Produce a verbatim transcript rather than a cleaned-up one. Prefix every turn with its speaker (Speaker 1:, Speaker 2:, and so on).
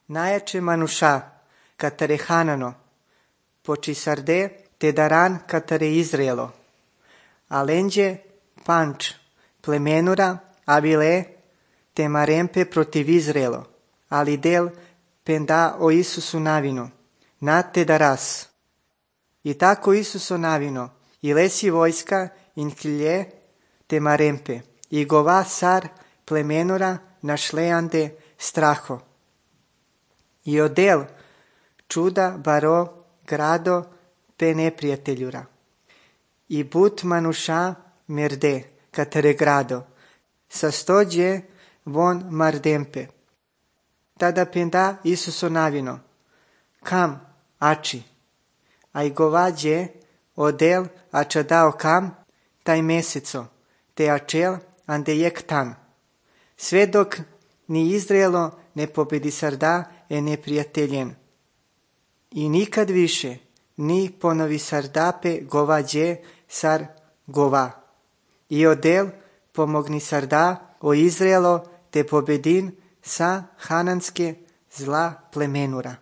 Speaker 1: Najjače manuša, katare Hanano, poči sarde te daran katare Izraelo. Alenđe panč plemenura avile te marempe protiv Izraelo, ali del penda o Isusu navino, na te daras. I tako Isuso navino, i lesi vojska in klje te marempe, i gova sar plemenura našleande straho. I odel čuda baro grado pe neprijateljura. I but manuša merde katare grado, sastođe von mardempe. Tada penda Isuso navino, kam ači, a i govađe odel ača dao kam taj meseco, te ačel ande jek tan. Sve dok ni Izraelo ne pobedi sarda e neprijateljen. I nikad više ni ponovi sardape govađe sar gova. I odel pomogni sarda o Izraelo te pobedin sa hananske zla plemenura.